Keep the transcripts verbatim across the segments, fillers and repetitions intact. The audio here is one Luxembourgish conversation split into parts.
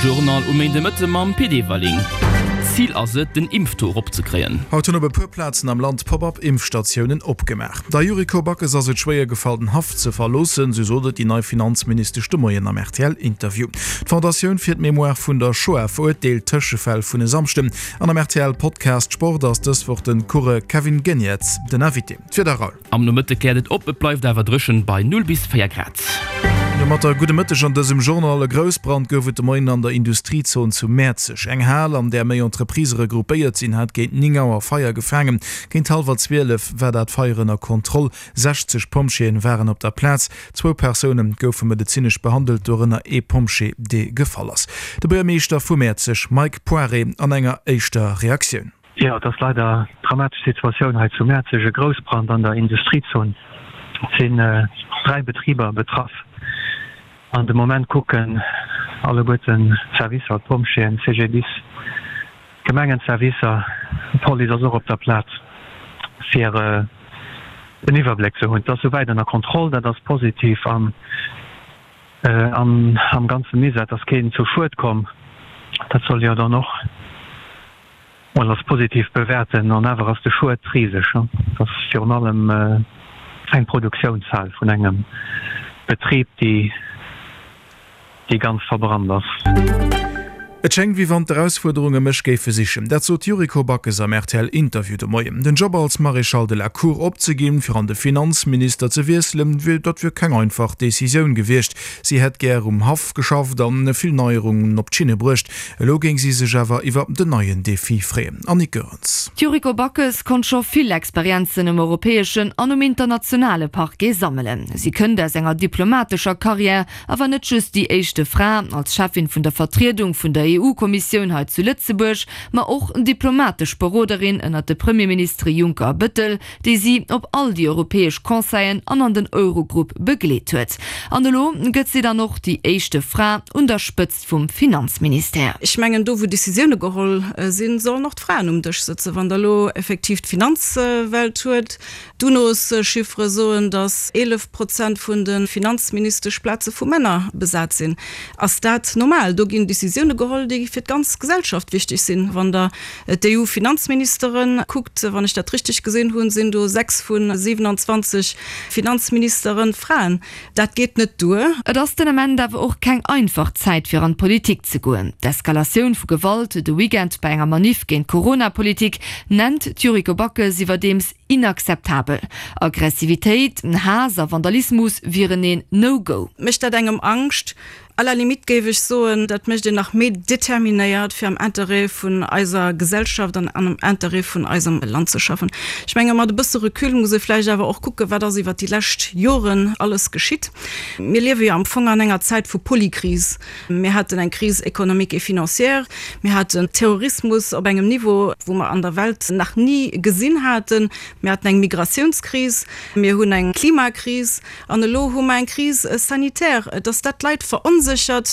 Journal um Méindemëtte mam Pit Everling. Zil ass et, den Impftaux eropzekréien. Haut hunn op e puer Plazen am Land Pop-up-Impfstatiounen opgemaach. Der Yuriko Backes ass et schwéier gefall, den Haff ze verloossen, sou sot et déi nei Finanzministesch de Moien am R T L-Interview. D'Fondatioun fir d'Mémoire vun der Shoah verurteelt d'Tëschefäll vun e Samschden. An am R T L Podcast Sport ass dës Woch de Coureur Kevin Geniets den Invité. D'Wieder, Raoul. Am Nomëtte kläert et op, et bleift awer dréchen bei null bis véier Grad. Domatter gudde Mëtteg an dësem Journal. E Groussbrand gouf et de Moien an der Industriezon zu Mäerzeg. Eng Hal, an där méi Entreprisë regroupéiert sinn, hat géint néng Auer Feier gefaangen. Géint hallwer zwielef war dat Feier ënner Kontroll. sechzeg Pompjeeën waren op der Plaz. Zwou Persoune goufe medezinesch behandelt, dorënner ee Pompjee, dee gefall ass. De Buergermeeschter vu Mäerzeg, Mike Poiré, an enger éischter Reaktioun. Jo, et ass leider dramatesch Situatioun hei zu Mäerzeg, e Groussbrand an der Industriezon. Et sinn dräi Betriber betraff an de Moment kucken alleguerten d'Servicer, d'Pompjeeën, C G D I S, d'Gemengenservicer, d'Police ass och op der Plaz, fir den Iwwerbléck ze hunn. Et ass souwäit ënner Kontroll, dat ass positiv an am ganze Misär, et ass keen zu Schued komm, dat soll jo dann och mol als positiv bewäerten an awer ass de Schued riseg. Et ass virun allem eng Produktiounshal vun engem Betrib, déi déi ganz verbrannt ass. Et schéngt, wéi wann d'Erausfuerderunge mech géife sichen. Dat sot d'Yuriko Backes am R T L-Interview de Moien. Den Job als Maréchal de la Cour opzeginn, fir an de Finanzminister ze wiesselen, wier dat wier keng einfach Decisioun gewiescht. Si hätt gär um Haff geschafft an vill Neierungen op d'Schinne bruecht. Elo géing si sech awer iwwer den neien Defi freeën. Annick Goerens. D'Yuriko Backes konnt scho vill Experienzen um europäeschen an um internationale Parquet sammelen. Si kënnt aus enger diplomatescher Karriär, awer net just déi éischte Fra als Chefin vun der Vertriedung vun der E U-Kommissioun hei zu Lëtzebuerg, ma och diplomatesch Beroderin ënner de Premierministere Juncker a Bettel, déi si op all déi europäesch Conseilen an an den Eurogrupp begleet huet. An elo gëtt si dann och déi éischte Fra un der Spëtzt vum Finanzministère. Ech mengen, do wou Decisioune geholl sinn, sollen och d'Fraen um Dësch sëtzen. Wann der elo effektiv d'Finanzwelt huet, d'UNOS-Chiffere soen, datt eelef Prozent vun de Finanzministeschplaze vu Männer besat sinn. Ass dat normal? Do ginn Decisioune geholl, déi fir d'ganz Gesellschaft wichteg sinn. Wann der d'E U-Finanzministere kuckt, wann ech dat richteg gesinn hunn, sinn do sechs vu siewenundzwanzeg Finanzministere Fraen. Dat geet net duer. Et ass den Ament awer och keng einfach Zäit fir an d'Politik ze goen. D'Eskalatioun vu Gewalt de Weekend bei enger Manif géint d'Corona-Politik nennt d'Yuriko Backes iwwerdeems inakzeptabel. Aggressivitéit, Haass a Vandalismus wieren een No-Go. Mécht dat engem Angscht? À la limite géif ech soen, dat mécht een nach méi determinéiert, fir am Interêt vun eiser Gesellschaft an am Interêt vun eisem Land ze schaffen. Ech menge mat e bësse Recul muss ee vläicht awer och kucken, wat ass iwwert déi lescht Joren alles geschitt. Mir liewe jo am Fong an enger Zäit vu Polykris. Mir haten eng Crise économique et financière, mir haten Terrorismus op engem Niveau, wou mer an der Welt nach ni gesinn haten, mir haten eng Migratiounskris, mir hunn eng Klimakris an elo hu mer eng Crise sanitaire. Dass dat d'Leit veronséchert,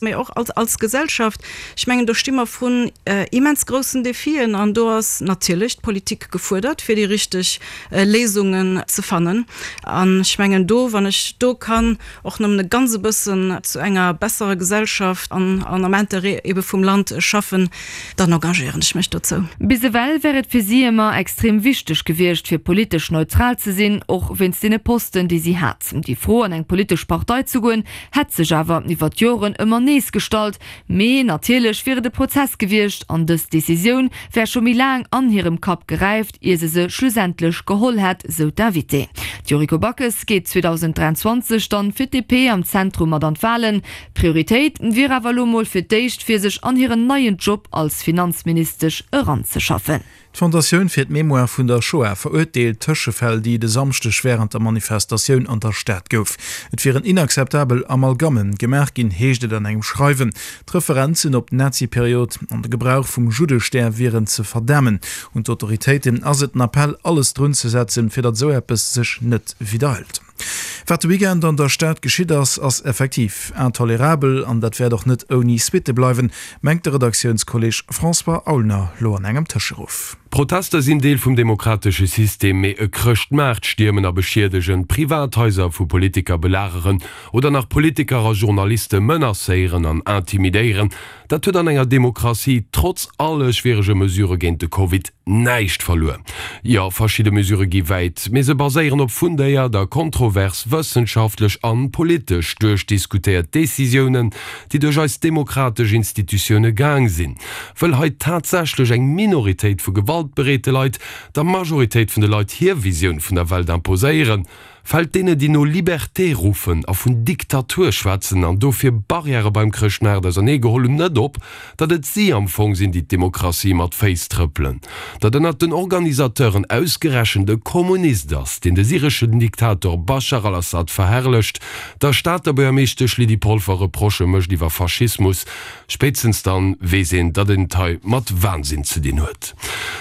mee och als als Gesellschaft, ech mengen, do sti mer vrun immens groussen Defien an do ass natierlech d'Politik gefuerdert, fir déi richteg Léisungen ze fannen. An ech mengen do, wann ech do kann och nëmmen e ganz e bëssen zu enger besserer Gesellschaft an an am Interêt ebe vum Land schaffen, dann engagéieren ech mech dozou. Bis ewell wär et fir si ëmmer extrem wichteg gewiescht, fir politesch neutral ze sinn, och wéinst deene Posten, déi si hat. Déi Fro, an eng politesch Partei ze goen, hätt sech awer iwwer d'Joren ëmmer nees gestallt. Mee natierlech wier et e Prozess gewiescht an dës Decisioun wär scho méi laang an hirem Kapp geräift, ier se se schlussendlech geholl hätt, sou d'Invitée. D'Yuriko Backes geet zweedausend dräianzwanzeg dann fir d'D P am Zentrum mat an d'Walen. Prioritéit wier awer elo mol fir d'éischt, fir sech an hiren neien Job als Finanzministesch eranzeschaffen. D'Fondatioun fir d'Mémoire vun der Shoah verurteelt d'Tëschefäll, déi de Samschdeg wärend der Manifestatioun an der Stad gouf. Et wieren inakzeptabel Amalgamme gemaach ginn, heescht et an engem Schreiwen. D'Referenzen op d'Nazi-Period an de Gebrauch vum Juddestär wieren ze verdamen. Un d'Autoritéiten ass et den Appell, alles drun ze setzen, fir datt esou eppes sech net widderhëlt. Wat de Weekend an der Stad geschitt ass, ass effektiv intolerabel an dat wäert och net ouni Suitte bleiwen, mengt de Redaktiounskolleeg François Aulner lo an engem Tëscheruff. Protester sinn Deel vum demokratesche System, mee e Chrëschtmaart stiermen a beschiedegen, Privathaiser vu Politiker belageren oder nach Politiker a Journaliste menacéieren an intimidéieren, dat huet an enger Demokratie trotz alle schwierege Mesurë géint de Covid näischt verluer. Jo, verschidde Mesurë gi wäit, mee se baséieren op fundéiert a kontrovers wëssenschaftlech an politesch duerchdiskutéiert Decisiounen, déi duerch eis demokratesch Institutioune gaang sinn. Wëll hei tatsächlech eng Minoritéit vu gewaltbereete Leit der Majoritéit vun de Leit hir Visioun vun der Welt imposéieren, Fält deene, déi no Liberté ruffen a vun Diktatur schwätzen an dofir Barrièrë beim Chrëschtmaart ausernee geholl hunn, net op, datt et si am Fong sinn, déi d'Demokratie mat Féiss trëppelen? Datt ënnert den Organisateuren ausgerechent e Kommunist ass, deen de syreschen Diktator Bashar al-Assad verherrlecht, der Stater Buergermeeschtesch Lydie Polfer Reprochë mécht iwwer Faschismus, spéitstens dann weess een, datt een et hei mat Wahnsinn ze dinn huet.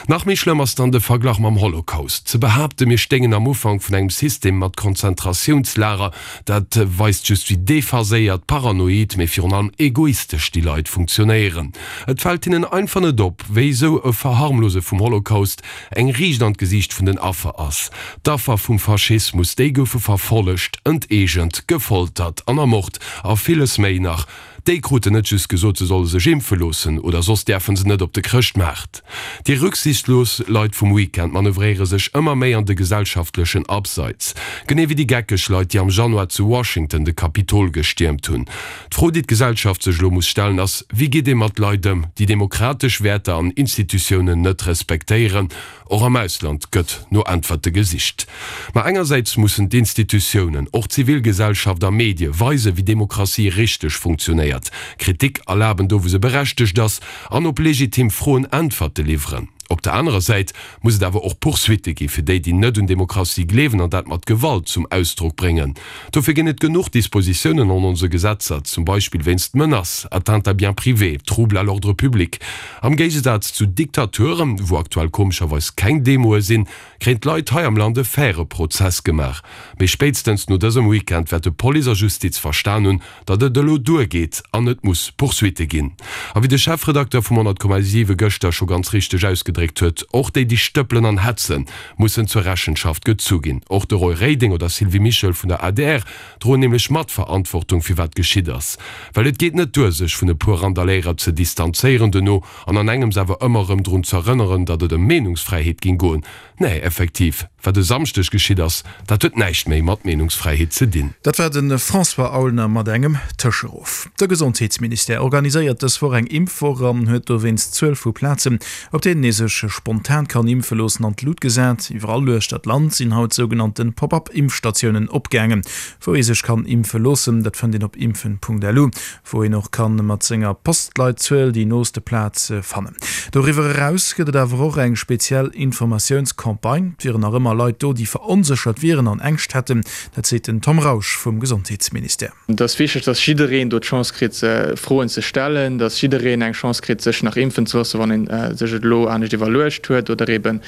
Nach méi schlëmm ass dann de Verglach mam Holocaust. Ze behaapten, mir stéingen am Ufank vun engem System mat Konzentratiounslager, dat weist just wéi dephaséiert, paranoid, mee virun allem egoistesch déi Leit funktionéieren. Et fält hinnen einfach net op, wéi esou e Verharmlose vum Holocaust eng Riicht an d'Gesiicht vun den Affer ass. D'Affer vum Faschismus, déi goufe verfollegt, enteegent, gefoltert an ermort a villes méi nach. Déi kruten net just gesot, se solle sech impfe loossen oder soss däerfe se net op de Chrëschtmaart. Déi rücksichtslos Leit vum Weekend manövréiere sech ëmmer méi an de gesellschaftlechen Abseits. Genee wéi déi geckeg Leit, déi am Januar zu Washington de Kapitol gestiermt hunn. D'Fro, déi d'Gesellschaft sech elo muss stellen, ass, Wéi geet ee mat Leit ëm, déi demokratesch Wäerter an Institutiounen net respektéieren? Och am Ausland gëtt no Äntwerte gesicht. Ma engersäits mussen d'Institutiounen, och d'Zivilgesellschaft a Medie weisen, wéi Demokratie richteg funktionéiert, Kritik erlaben do wou se berechtegt ass an op legitim Froen Äntwerte liwweren. Op der anerer Säit muss et awer och Poursuitte gi fir déi, déi net un Demokratie gleewen an dat mat Gewalt zum Ausdrock bréngen. Dofir ginn et genuch Dispositiounen an onse Gesetzer, zum Beispill wéinst Menace, Atteinte à biens privés, Trouble à l'ordre public. Am Géigesaz zu Diktaturen, wou aktuell komescherweis keng Demoe sinn, kréien d'Leit hei am Land e faire Prozess gemaach. Mee spéitstens no dësem Weekend wäerte Police a Justiz verstan hunn, datt et elo duergeet an et muss Poursuitte ginn. A wéi de Chefredakteur vum honnert Komma siwe gëschter scho ganz richteg ausgedréckt huet, Och déi, déi stëppelen an hetzen, mussen zur Rechenschaft gezu ginn. Och de Roy Reding oder Sylvie Mischel vun der adr droen nämlech Matverantwortung fir wat geschitt ass. Well et geet net duer, sech vun e puer Randaléierer ze distanzéieren duerno an an engems awer ëmmer erëm drun z'erënneren, datt et ëm Meenungsfräiheet ging goen. Nee, effektiv, wat e Samschdeg geschitt ass, dat huet näischt méi mat Meenungsfräiheet ze dinn. Dat war de François Aulner mat engem Tëscheruff. De Gesondheetsministère organiséiert dës Woch eng Impfwoch an huet dowéinst d'Zuel vu Plazen, op deenen ee sech spontan kann impfe loossen, an d'Lut gesat. Iwwerall uechter d'Land sinn haut sougenannte Pop-up-Impfstatiounen opgaangen, wou ee sech kann impfe loossen. Dat fënnt een op impfen.lu, wou een och kann mat senger Postleitzuel déi nooste Plaz fannen. Doriwwer eraus gëtt et awer och eng speziell Informatiounscampagne. Et wieren nach ëmmer Leit do, déi veronséchert wieren an Ängscht hätten. Dat seet den Tom Rausch vum Gesondheetsministère. Et ass wichteg, dass jiddereen do d'Chance kritt, Froen ze stellen, dass jiddereen eng Chance kritt, sech nach impfen ze loossen, wann ee sech et elo anescht iwwerluecht huet oder eebe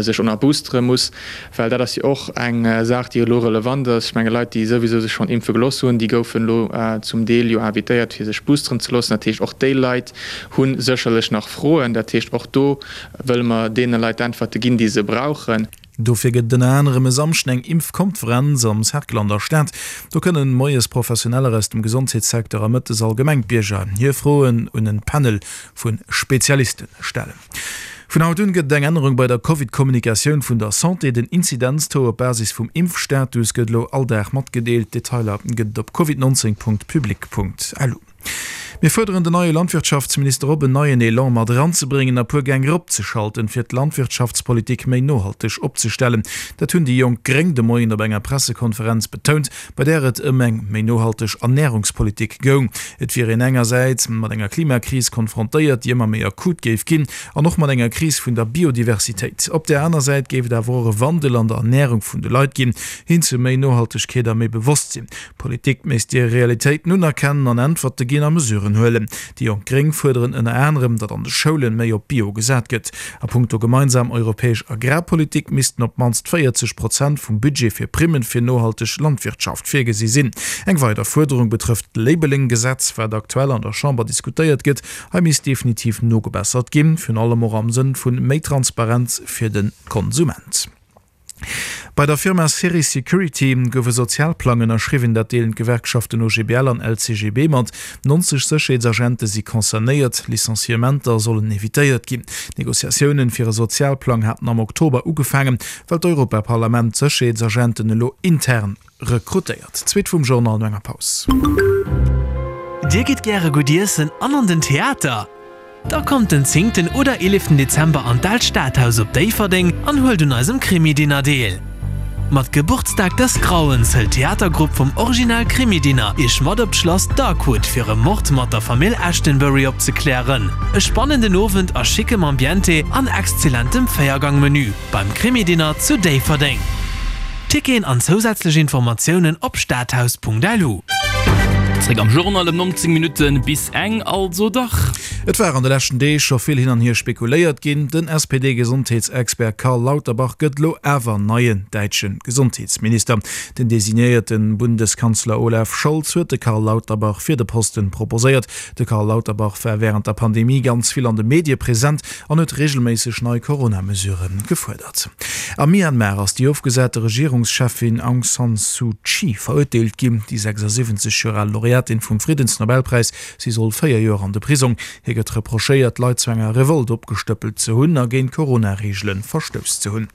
sech och nach boostere muss. Well dat ass jo och eng Saach, déi elo relevant ass. Ech menge Leit, déi souwisou sech schonn impfe gelooss hunn, déi goufen elo zum Deel jo invitéiert, fir sech boosteren ze loossen. Dat heescht, och déi Leit hu sécherlech nach Froen. Dat heescht, och do wëlle mer deene Leit d'Äntwerte ginn, déi se brauchen. Dofir gëtt et ënner anerem e Samschden eng Impfkonferenz am Cercle an der Stad. Do kënnen moies Professioneller aus dem Gesondheetssecteur a mëttes allgemeng d'Bierger hir Froen un en Panel vu Spezialiste stellen. Vun haut un gëtt et eng Ännerung bei der Covid-Kommunikatioun vun der Santé. Den Inzidenztaux op Basis vum Impfstatus gëtt elo all Dag matgedeelt. Detailer gëtt et op covid neunzehn punkt public punkt lu. Mir fuerderen den neie Landwirtschaftsminister op, en neien Elan mat eranzebréngen a puer Gäng eropzeschalten, fir d'Landwirtschaftspolitik méi nohalteg opzestellen. Dat hunn déi jonk gréng de Moien op enger Pressekonferenz betount, bei där et ëm eng méi nohalteg Ernärungspolitik goung. Et wier een engersäits mat enger Klimakris konfrontéiert, déi ëmmer méi akut géif ginn, an och mat enger Kris vun der Biodiversitéit. Op där aner Säit géif et awer och e Wandel an der Ernärung vun de Leit ginn, hin zu méi Nohaltegkeet a méi Bewosstsinn. D'Politik misst déi Realitéiten unerkennen an Äntwerte ginn a Mesuren Mesuren huelen. Déi Jonk Gréng fuerderen ënner anerem, datt an de Schoulen méi op Bio gesat gëtt. A punkto gemeinsam europäesch Agrarpolitik missten op d'mannst véierzeg Prozent vum Budget fir Primmen fir nohalteg Landwirtschaft virgesi sinn. Eng weider Fuerderung betrëfft d'Labeling-Gesetz, wat aktuell an der Chamber diskutéiert gëtt. Hei misst definitiv nogebessert ginn, virun allem och am Sënn vu méi Transparenz fir de Konsument. Bei der Firma Ceris Security gouf e Sozialplang ënnerschriwwen. Dat deelen d'Gewerkschaften O G B L an L C G B mat. Nonzeg Sécherheetsagente si concernéiert. Licenciementer sollen evitéiert ginn. D'Negociatiounen fir e Sozialplang haten am Oktober ugefaangen, well d'Europaparlament d'Sécherheetsagenten elo intern rekrutéiert. D'Suite vum Journal no enger Paus. Dir gitt gäre gutt iessen an an den Theater? Da kommt den zéngten oder eeleften Dezember an d'Aalt Stadhaus op Déifferdeng an huelt un eisem Krimi-Dinner deel. Mat Geburtstag des Grauens hëlt d'Theatergrupp vum Original Krimi-Dinner iech mat op d'Schlass Darkwood fir e Mord mat der Famill Ashtonbury opzeklären. E spannenden Owend a schickem Ambiente an exzellentem Véiergang-Menü beim Krimi-Dinner zu Déifferdeng. Ticketen an zousätzlech Informatiounen op stadhaus.lu. Zréck am Journal ëm nonzéng Minutte bis eng, also dach. Et war an de leschten Deeg scho vill hin an hier spekuléiert ginn. Den S P D-Gesondheetsexpert Karl Lauterbach gëtt elo awer neien däitsche Gesondheetsminister. Den designéierte Bundeskanzler Olaf Scholz huet de Karl Lauterbach fir de Posten proposéiert. De Karl Lauterbach war wärend der Pandemie ganz vill an de Medie present an huet reegelméisseg nei Corona-Mesurë gefuerdert. Am Myanmar ass déi ofgesate Regierungscheffin Aung San Suu Kyi verurteelt ginn. Déi sechsundsiwwenzeg Joer al Laureatin vum Friddensnobelpräis, si soll véier Joer an de Prisong. Hir gëtt reprochéiert, Leit zu enger Revolt opgestëppelt ze hunn a géint Corona-Reegele verstouss ze hunn.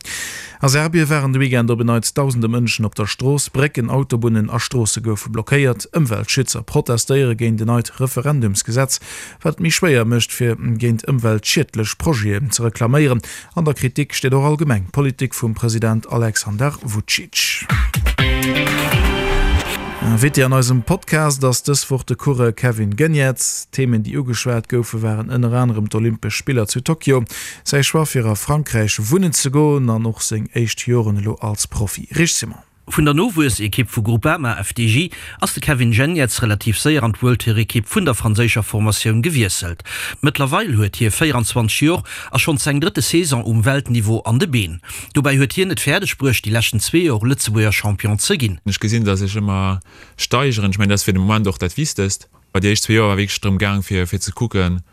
A Serbie waren de Weekend op en Neits dausende Mënschen op der Strooss. Brécken, Autobunnen a Stroosse goufe blockéiert. Ëmweltschützer protestéiere géint en neit Referendumsgesetz, wat et méi schwéier mécht, fir géint ëmweltschiedlech Projeten ze reklaméieren. An der Kritik steet och allgemeng d'Politik vum President Aleksandar Vučić. Invité an eisem Podcast ass dës Woch de Coureur Kevin Geniets. D'Themen, déi ugeschwat goufe, waren ënner anerem d'Olympesch Spiller zu Tokio, säi Choix fir a Frankräich wunnen ze goen an och seng éischt Joren elo als Profi. Rich Simon. Vun der Nowuessekipp vu Groupama F D J ass de Kevin Geniets relativ séier an d'World-Tour-Ekipp vun der franséischer Formatioun gewiesselt. Mëttlerweil huet hie véieranzwanzeg Joer a schonns seng drëtte Saison um Weltniveau an de Been. Dobäi huet hien et fäerdeg bruecht, déi leschten zwee Joer Lëtzebuerger Champion ze ginn. Ech gesinn, datt ech ëmmer steigeren. Ech mengen, dat ass fir de Moment och dat Wichtegst. Bei déi éischt zwee Joer war wierklech drëm gaang, fir, fir ze kucken,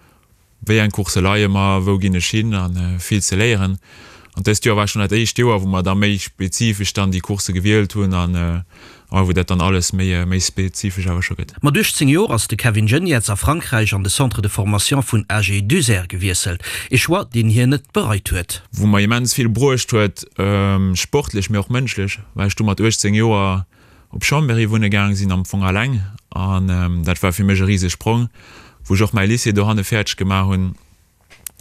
wéi eng Course leie mer, wou ginn ech hin an vill ze léieren. An dëst Joer war schon dat éischt Joer, wou mer da méi spezifesch dann déi Course gewielt hunn an, äh, wou dat dann alles méi, méi spezifesch awer scho gëtt. Mat uechtzéng Joer ass de Kevin Geniets a Frankräich an de Centre de formation vun A G Duzert gewiesselt. E Choix, deen hien net bereit huet. Wou mer immens vill bruecht huet, ähm, sportlech, mee och mënschlech, well ech du mat uechtzéng Joer op Chambéry wunne gaang sinn, am Fong alleng. An, ähm, dat war fir mech e riesege Sprong, wou ech och mäi Lycée dohanne fäerdeg gemaach hunn.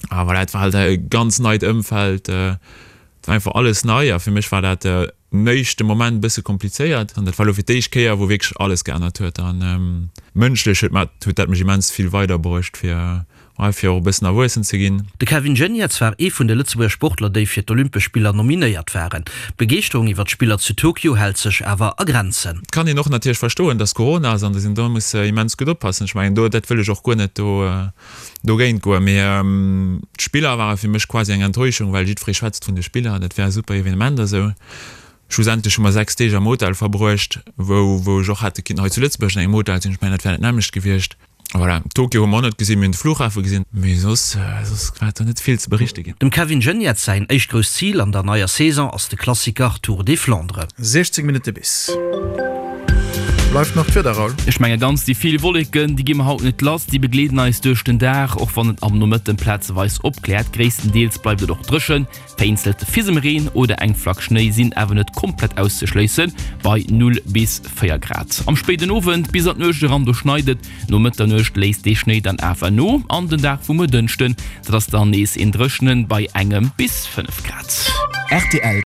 Ah, voilà, et war halt e ganz neit Ëmfeld, äh, et war einfach alles nei a fir mech war dat, äh, néischte Moment e bësse komplizéiert. An dat war lo fir d'éischt Kéier, wou wierklech alles geännert huet. An, ähm, mënschlech huet mat, huet dat mech immens vill weiderbruecht, fir, ouais, fir och e bëssen erwuessen ze ginn. De Kevin Geniets war ee vun de Lëtzebuerger Sportler, déi fir d'Olympesch Spiller nominéiert waren. D'Begeeschterung iwwer d'Spiller zu Tokio hält sech awer a Grenzen. Et kann een och natierlech verstoen, dass Corona ass an dass een do muss, äh, immens gutt oppassen. Ech mengen, do, dat wëll ech och guer net do, äh, dogéint goen. Mee, ähm, d'Spiller ware fir mech quasi eng Enttäuschung, well jiddweree schwätzt vun de Spiller, dat wär e super Evenement a sou. Schlussendlech hu mer sechs Deeg am Hotel verbruecht, wou, wou ech och hätte kinnen hei zu Lëtzebuerg an engem Hotel sinn. Ech mengen, dat wär net nämmlecht gewiescht. Voilà, Tokio hu mer och net gesinn, mir hunn de Flughafe gesinn, mee soss, soss war do net vill ze berichte ginn. Dem Kevin Geniets säin éischt grousst Zil an der neier Saison ass de Klassiker Tour des Flandres. sechzéng Minutte bis. Bleift nach d'Wieder, Raoul? Ech menge ganz déi vill Wolleken, déi gi mer haut net lass, déi begleeden eis duerch den Dag, och wann et am Nomëtten plazeweis opkläert. Gréisstendeels bleift et och dréchen. Vereenzelte Fisemreen oder eng Flack Schnéi sinn awer net komplett auszeschléissen, bei null bis véier Grad. Am spéiden Owend bis an d'Nuecht eran, do schneit et. No Mëtternuecht léisst dee Schnéi dann awer no an den Dag vum Dënschden, dat ass dann nees een dréchenen bei engem bis fënnef Grad. R T L